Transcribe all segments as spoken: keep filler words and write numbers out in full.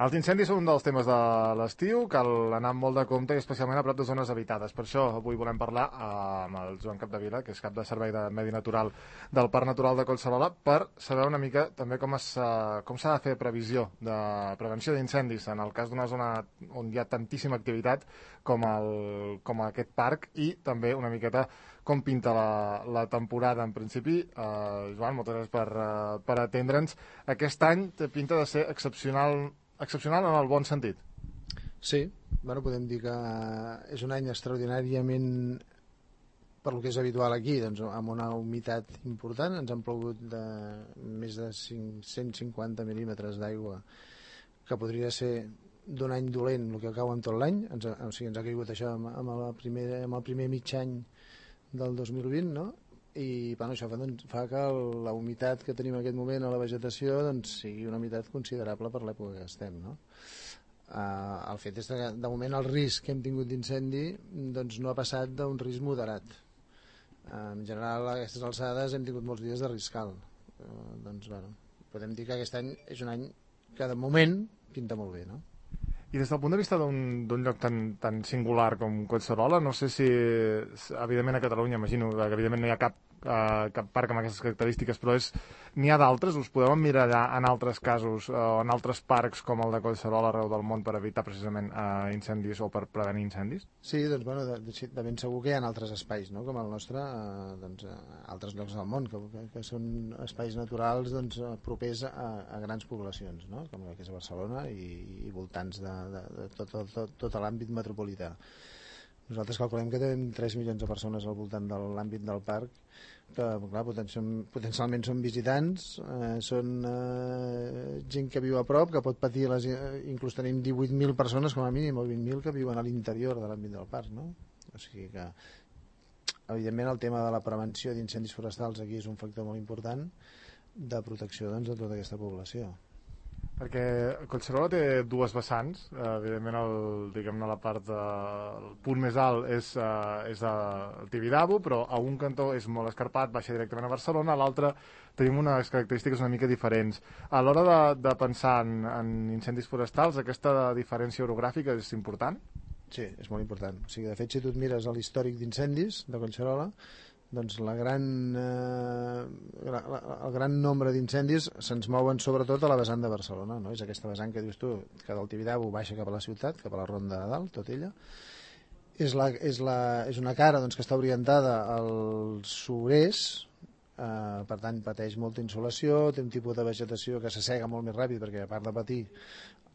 Els incendis són un dels temes de l'estiu, cal anar amb molt de compte i especialment a prop de zones habitades. Per això avui volem parlar amb el Joan Capdevila, que és cap de Servei de Medi Natural del Parc Natural de Collserola, per saber una mica també com es, com s'ha de fer previsió de prevenció d'incendis en el cas d'una zona on hi ha tantíssima activitat com, el, com aquest parc, i també una miqueta com pinta la, la temporada en principi. Uh, Joan, moltes gràcies per, uh, per atendre'ns. Aquest any té pinta de ser excepcional excepcional en el bon sentit. Sí, bueno, podem dir que és un any extraordinàriament, per lo que és habitual aquí, doncs, amb una humitat important. Ens han plogut de més de cinc-cents cinquanta mil·límetres d'aigua, que podria ser d'un any dolent el que cau en tot l'any. Ens, o sigui, ens ha caigut això amb, amb, el primer, amb el primer mig any del dos mil vint, no? I bueno, això fa, doncs, fa que la humitat que tenim en aquest moment a la vegetació doncs, sigui una humitat considerable per l'època que estem, no? Uh, el fet és que de moment el risc que hem tingut d'incendi doncs, no ha passat d'un risc moderat. Uh, en general a aquestes alçades hem tingut molts dies de risc alt. Uh, doncs, bueno, podem dir que aquest any és un any que de moment pinta molt bé, no? I des del punt de vista d'un lloc tan, tan singular com Collserola, no sé si, evidentment a Catalunya, imagino que evidentment no hi ha cap, uh, cap parc amb aquestes característiques, però n'hi ha d'altres? Us podeu emmirallar en altres casos o uh, en altres parcs com el de Collserola arreu del món per evitar precisament uh, incendis o per prevenir incendis? Sí, doncs bueno, de, de, de ben segur que hi ha altres espais, no? Com el nostre, uh, doncs, uh, altres llocs del món, que, que, que són espais naturals doncs, uh, propers a, a grans poblacions, no? Com el que és a Barcelona i, i voltants de de, de tot, tot, tot, tot l'àmbit metropolità. Nosaltres calculem que tenim tres milions de persones al voltant de l'àmbit del parc, que clar, potencialment són visitants, eh, són eh, gent que viu a prop, que pot patir, les, inclús tenim divuit mil persones com a mínim, o vint mil que viuen a l'interior de l'àmbit del parc, no? O sigui que evidentment el tema de la prevenció d'incendis forestals aquí és un factor molt important de protecció, doncs, de tota aquesta població. Perquè Collserola té dues vessants, eh, evidentment el, diguem-ne, la part de, el punt més alt és, eh, és el Tibidabo, però a un cantó és molt escarpat, baixa directament a Barcelona, a l'altre tenim unes característiques una mica diferents. A l'hora de, de pensar en, en incendis forestals, aquesta diferència orogràfica és important? Sí, és molt important. O sigui, de fet, si tu et mires a l'històric d'incendis de Collserola, doncs la gran, eh, la, la, el gran nombre d'incendis se'ns mouen sobretot a la vessant de Barcelona, no? És aquesta vessant que dius tu, que del Tibidabo baixa cap a la ciutat, cap a la Ronda de Dalt, tot ella. És, la, és, la, és una cara doncs, que està orientada al sud-est, eh, per tant pateix molta insolació, té un tipus de vegetació que s'assega molt més ràpid, perquè a part de patir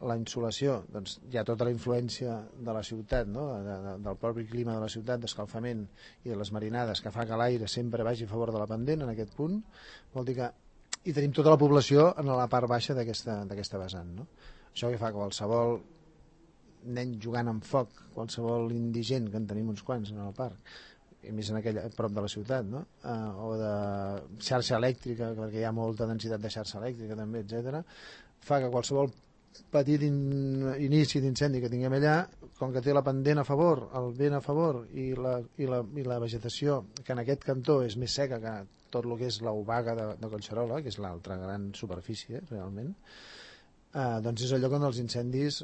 la insolació, doncs hi ha tota la influència de la ciutat, no? de, de, del propi clima de la ciutat, d'escalfament i de les marinades, que fa que l'aire sempre vagi a favor de la pendent en aquest punt. Vol dir que i tenim tota la població en la part baixa d'aquesta vessant, no? Això que fa que qualsevol nen jugant amb foc, qualsevol indigent, que en tenim uns quants en el parc, i més en aquell prop de la ciutat, no? Uh, o de xarxa elèctrica, perquè hi ha molta densitat de xarxa elèctrica també, etcètera, fa que qualsevol petit in, inici d'incendi que tinguem allà, com que té la pendent a favor, el vent a favor i la, i la, i la vegetació, que en aquest cantó és més seca que tot el que és l'Obaga de, de Collserola, que és l'altra gran superfície realment, eh, doncs és el lloc on els incendis,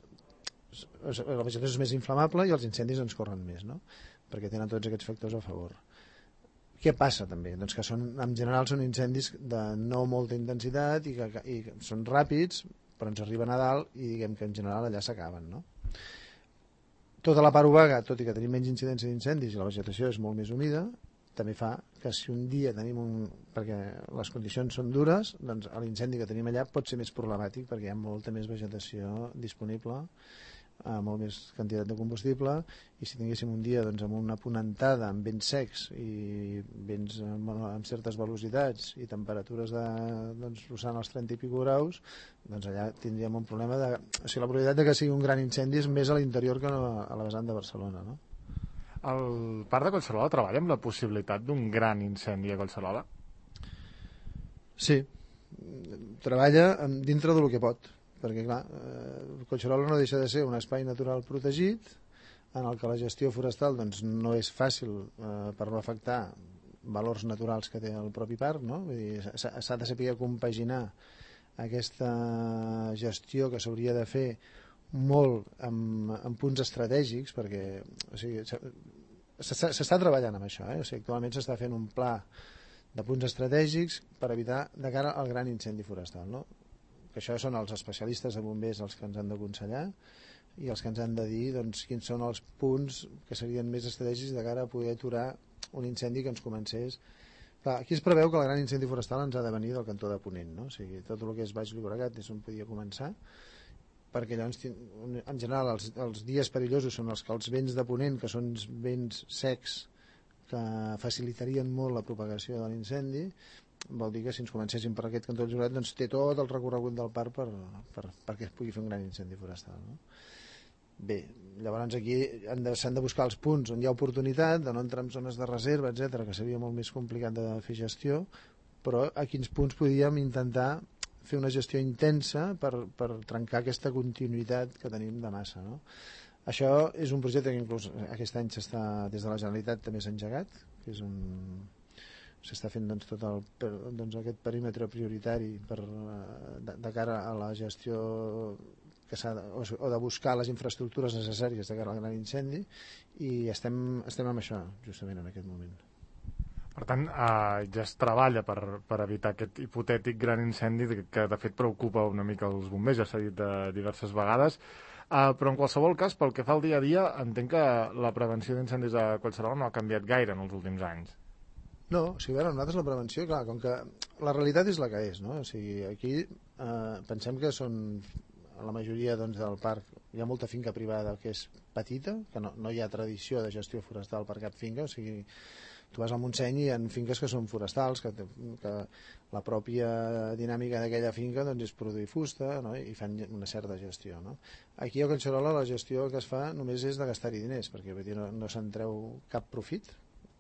la vegetació és més inflamable i els incendis ens corren més, no? Perquè tenen tots aquests factors a favor. Què passa també? Doncs que són, en general són incendis de no molta intensitat i que, i que són ràpids, però ens arriben a dalt i diguem que en general allà s'acaben, no? Tota la part obaga, tot i que tenim menys incidència d'incendis i la vegetació és molt més humida, també fa que si un dia tenim un... perquè les condicions són dures, doncs l'incendi que tenim allà pot ser més problemàtic perquè hi ha molta més vegetació disponible, eh, molt més quantitat de combustible, i si tinguéssim un dia doncs, amb una ponentada, amb vents secs i vents amb, amb certes velocitats i temperatures de, doncs, rossant els trenta i pico graus, doncs allà tindríem un problema de... O sigui, la probabilitat de que sigui un gran incendi és més a l'interior que a la vessant de Barcelona, no? El Parc de Collserola treballa amb la possibilitat d'un gran incendi a Collserola? Sí, treballa dintre del que pot, perquè clar, eh, Collserola no deixa de ser un espai natural protegit en el que la gestió forestal doncs, no és fàcil eh, per no afectar valors naturals que té el propi parc, no? Vull dir, s'ha de saber compaginar aquesta gestió que s'hauria de fer molt en, en punts estratègics, perquè o sigui, s'està treballant amb això, eh? O sigui, actualment s'està fent un pla de punts estratègics per evitar de cara al gran incendi forestal, no? Que això són els especialistes de bombers els que ens han d'aconsellar i els que ens han de dir doncs, quins són els punts que serien més estratègics de cara a poder aturar un incendi que ens comencés. Clar, aquí es preveu que el gran incendi forestal ens ha de venir del cantó de Ponent, no? O sigui, tot el que és Baix Llobregat és on podia començar, perquè llavors, en general, els, els dies perillosos són els que els vents de Ponent, que són vents secs, que facilitarien molt la propagació de l'incendi, vol dir que si ens comencéssim per aquest cantó del Llobregat, doncs té tot el recorregut del parc per, per, perquè es pugui fer un gran incendi forestal, no? Bé, llavors aquí s'han de, de buscar els punts on hi ha oportunitat, de no entrar en zones de reserva, etcètera, que seria molt més complicat de fer gestió, però a quins punts podíem intentar fer una gestió intensa per, per trencar aquesta continuïtat que tenim de massa, no? Això és un projecte que inclús aquest any s'està, des de la Generalitat també s'ha engegat, que és un... s'està fent doncs, tot el, doncs, aquest perímetre prioritari per, de, de cara a la gestió que s'ha de, o de buscar les infraestructures necessàries de cara al gran incendi, i estem, estem amb això justament en aquest moment. Per tant, eh, ja es treballa per, per evitar aquest hipotètic gran incendi que de fet preocupa una mica els bombers, ja s'ha dit de diverses vegades, eh, però en qualsevol cas, pel que fa al dia a dia, entenc que la prevenció d'incendis a Collserola no ha canviat gaire en els últims anys. No, o sigui, a veure, nosaltres la prevenció, clar, com que la realitat és la que és, no? O sigui, aquí eh, pensem que són, a la majoria doncs, del parc, hi ha molta finca privada que és petita, que no, no hi ha tradició de gestió forestal per cap finca, o sigui, tu vas al Montseny i hi ha finques que són forestals, que, que la pròpia dinàmica d'aquella finca doncs, és produir fusta, no? I fan una certa gestió, no? Aquí a Collserola la gestió que es fa només és de gastar-hi diners, perquè dir, no, no se'n treu cap profit.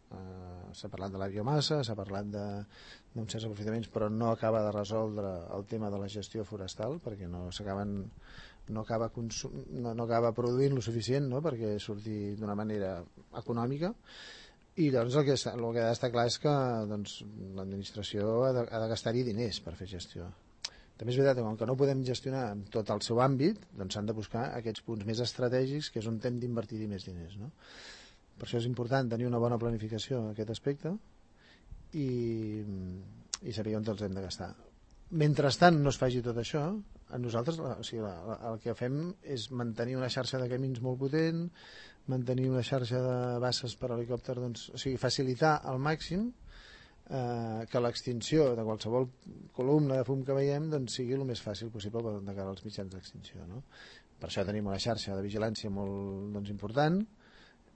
Uh, s'ha parlat de la biomassa, s'ha parlat d'uns certs aprofitaments, però no acaba de resoldre el tema de la gestió forestal, perquè no s'acaben no acaba, consum, no, no acaba produint lo suficient, no? Perquè surti d'una manera econòmica. I llavors el que, està, el que ha d'estar clar és que doncs, l'administració ha de, ha de gastar-hi diners per fer gestió. També és veritat que com que no podem gestionar tot el seu àmbit, doncs s'han de buscar aquests punts més estratègics, que és on hem d'invertir-hi més diners, no? Per això és important tenir una bona planificació en aquest aspecte i, i saber on els hem de gastar. Mentrestant no es faci tot això, a nosaltres o sigui, la, la, el que fem és mantenir una xarxa de camins molt potent, mantenir una xarxa de basses per helicòpter, doncs, o sigui, facilitar al màxim eh, que l'extinció de qualsevol columna de fum que veiem doncs, sigui el més fàcil possible de cara als mitjans d'extinció, no? Per això tenim una xarxa de vigilància molt doncs, important,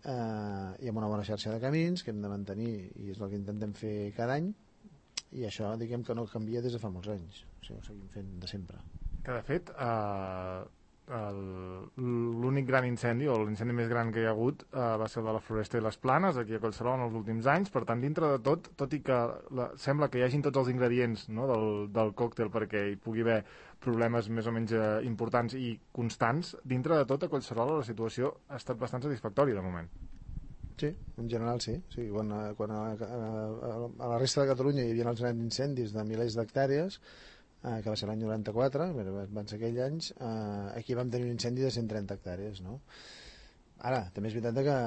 eh, i amb una bona xarxa de camins que hem de mantenir, i és el que intentem fer cada any, i això diguem que no canvia des de fa molts anys, o sigui, ho seguim fent de sempre. Que de fet eh, l'únic gran incendi o l'incendi més gran que hi ha hagut eh, va ser el de la Floresta i les Planes aquí a Collserola en els últims anys, per tant dintre de tot, tot i que la, sembla que hi hagin tots els ingredients, no, del, del còctel perquè hi pugui haver problemes més o menys eh, importants i constants, dintre de tot a Collserola la situació ha estat bastant satisfactòria de moment. Sí, en general sí, sí quan, quan a, a, a, a la resta de Catalunya hi havia els grans incendis de milers d'hectàrees, eh, que va ser l'any noranta-quatre, van ser aquells anys, eh, aquí vam tenir un incendi de cent trenta hectàrees, no? Ara, també és veritat de que,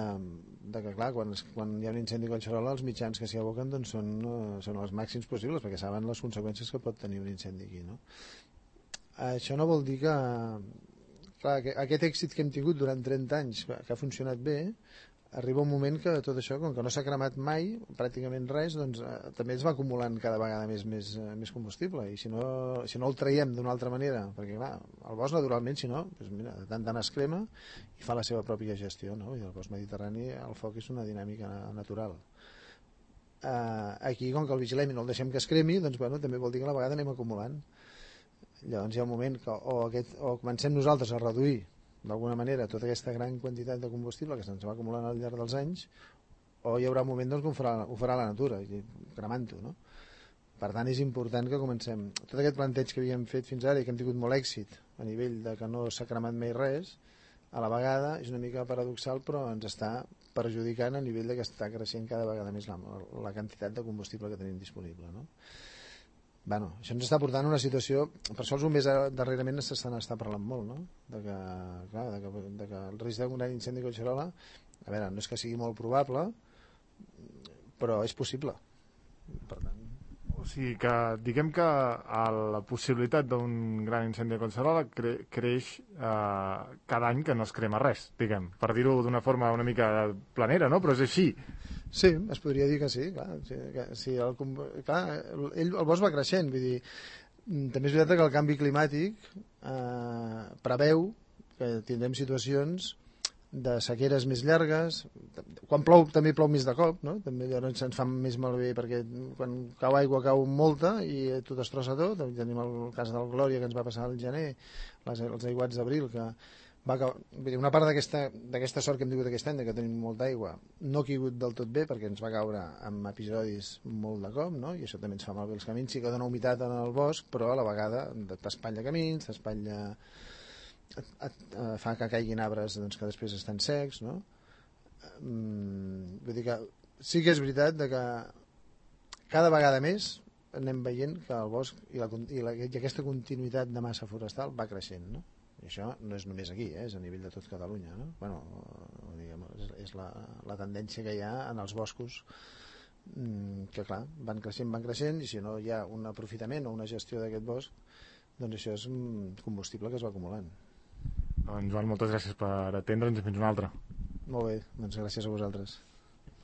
de que clar, quan, quan hi ha un incendi a Collserola, els mitjans que s'hi aboquen doncs, són, uh, són els màxims possibles, perquè saben les conseqüències que pot tenir un incendi aquí, no? Això no vol dir que, clar, que aquest èxit que hem tingut durant trenta anys, que ha funcionat bé, arriba un moment que tot això, com que no s'ha cremat mai, pràcticament res, doncs eh, també es va acumulant cada vegada més, més, eh, més combustible, i si no, si no el traiem d'una altra manera, perquè clar, el bosc naturalment, si no, doncs mira, de tant tant es crema i fa la seva pròpia gestió, no? I el bosc mediterrani, el foc és una dinàmica natural. Eh, aquí, com que el vigilem i no el deixem que es cremi, doncs bueno, també vol dir que a la vegada anem acumulant. Llavors hi ha un moment que o, aquest, o comencem nosaltres a reduir d'alguna manera tota aquesta gran quantitat de combustible que se'ns va acumulant al llarg dels anys, o hi haurà un moment doncs, que ho farà, ho farà la natura, cremant-ho, no? Per tant, és important que comencem. Tot aquest planteig que havíem fet fins ara i que hem tingut molt èxit a nivell de que no s'ha cremat mai res, a la vegada és una mica paradoxal, però ens està perjudicant a nivell de que està creixent cada vegada més la, la quantitat de combustible que tenim disponible, no? Bueno, això ens està portant a una situació... Per això els bombers darrerament s'estan està parlant molt, no? De que, clar, de que, de que el risc d'un gran incendi a Collserola, a veure, no és que sigui molt probable, però és possible. Per tant... O sigui que, diguem que la possibilitat d'un gran incendi a Collserola cre creix eh, cada any que no es crema res, diguem, per dir-ho d'una forma una mica planera, no? Però és així. Sí, es podria dir que sí, clar. Sí, que, sí el, clar ell, el bosc va creixent, vull dir, també és veritat que el canvi climàtic eh, preveu que tindrem situacions de sequeres més llargues, quan plou també plou més de cop, no? També llavors ens fa més malbé perquè quan cau aigua cau molta i tot es trossa tot. Tenim el cas del Glòria que ens va passar al gener, les, els aiguats d'abril, que va acabar, una part d'aquesta sort que hem tingut aquest any, que tenim molta aigua, no ha caigut del tot bé perquè ens va caure amb episodis molt de cop, no? I això també ens fa malbé els camins. Sí que dona humitat en el bosc, però a la vegada t'espatlla camins, t'espatlla, fa que caiguin arbres doncs, que després estan secs, no? Mm, vull dir que sí que és veritat de que cada vegada més anem veient que el bosc i, la, i, la, i aquesta continuïtat de massa forestal va creixent, no? I això no és només aquí, eh? És a nivell de tot Catalunya, no? Bueno, diguem, és, és la, la tendència que hi ha en els boscos, que clar, van creixent, van creixent, i si no hi ha un aprofitament o una gestió d'aquest bosc, doncs això és un combustible que es va acumulant. Doncs Joan, moltes gràcies per atendre'ns i fins una altra. Molt bé, doncs gràcies a vosaltres.